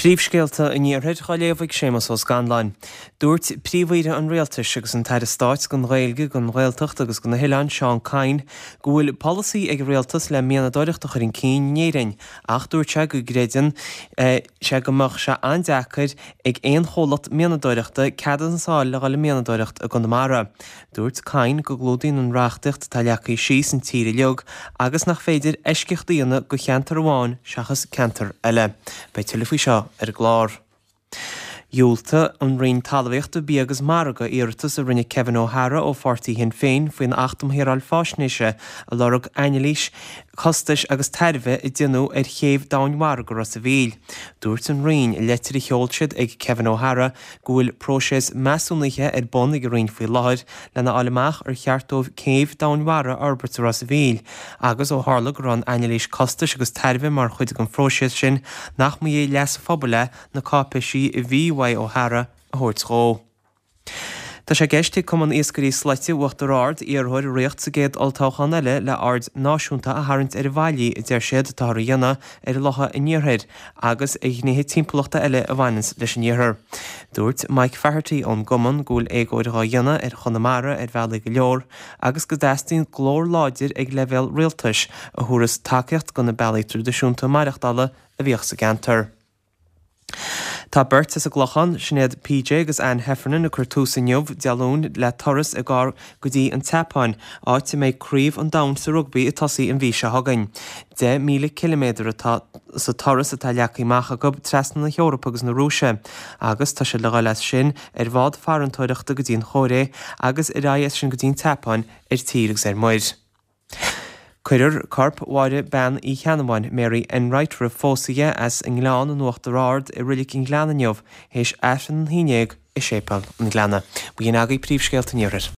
Príomhscéalta an Iarthair á léamh ag Séamus Ó Scanláin. Dúirt Príomh-Aoire an Rialtais agus an tAire Stáit don Ghaeilge, don Ghaeltacht agus do na hOileáin, Seán Kyne, go bhfuil polasaí ag an Rialtas le mianadóireacht a chur chun cinn in Éirinn ach dúirt sé go gcreideann sé go mbeadh sé an-deacair ag aon chomhlacht mianadóireachta ceadúnas a fháil le dhul ag mianadóireacht i gConamara. Dúirt Kyne go gclúdaíonn an reachtaíocht atá leagtha síos an tír uilig agus nach féidir eisceacht a dhéanamh do cheantar amháin seachas ceantar eile. Beidh tuilleadh faoi seo ar an gclár. Dhiúltaigh an Roinn Talmhaíochta, Bia agus Margaidh iarratas a rinne Kevin O'Hara ó pháirtí Shinn Féin faoin Acht um Shaoráil Faisnéise a lorg anailís costais agus tairbhe a déanadh ar chéibh domhainmhara go Ros a' Mhíl. Dúirt an Roinn i leitir a sheol siad ag Kevin O'Hara go bhfuil próiseas measúnaithe ar bun ag an Roinn faoi láthair lena fháil amach ar cheart dóibh céibh domhainmhara a fhorbairt i Ros a' Mhíl agus ó tharla go raibh an anailís costais agus tairbhe mar chuid den phróiseas sin nach mba é leas an phobail é na cáipéisí a bhí uaidh O'Hara a thabhairt dhó. Tá sé i gceist ag Cumann Iascairí Slaite Uachtar Ard iarrthóir a riocht sa gcéad olltoghchán eile le aird náisiúnta a tharraingt ar an bhfaillí a deir siad atáthar a dhéanamh ar locha an iarthair agus ar ghnéithe timpeallachta eile a bhaineanns leis an iarthar. Dúirt Mike Faherty ón gcumann go bhfuil éagóir dhá dhéanamh ar Chonamara ar bhealaí go leor agus go dteastaíonn glór láidir ag leibhéal rialtais a thabharfas tacaíocht do na bealaí traidisiúnta maireachtála a bhíodh sa gceantar. Tá beirt as an gClochán, Sinéad PJ agus Anne Heffernan ag cur tús inniu, Dé Luain, le turas i gcarr go dtí an tSeapáin, áit a mbeidh Craobh an Domhain sa Rugbaí ag tosaí an mhí seo chugainn. 10,000 ciliméadar atá sa turas atá leagtha amach acu trasna na hEorpa agus na Rúise, agus tá siad le dhul as sin ar bhád farantóireachta go dtí an Chóiré agus ar aghaidh as sin go dtí an tSeapáin ar tír agus ar muir. Cuirfear corp Mháire Bean Uí Cheannabháin, Mary Enright roimh phósadh di, as an nGleann in Uachtar Ard i Reilig an Ghleanna inniu, théis Aifreann an haon dhéag i Séipéal an Ghleanna. B'in agaibh príomhscéalta an Iarthair.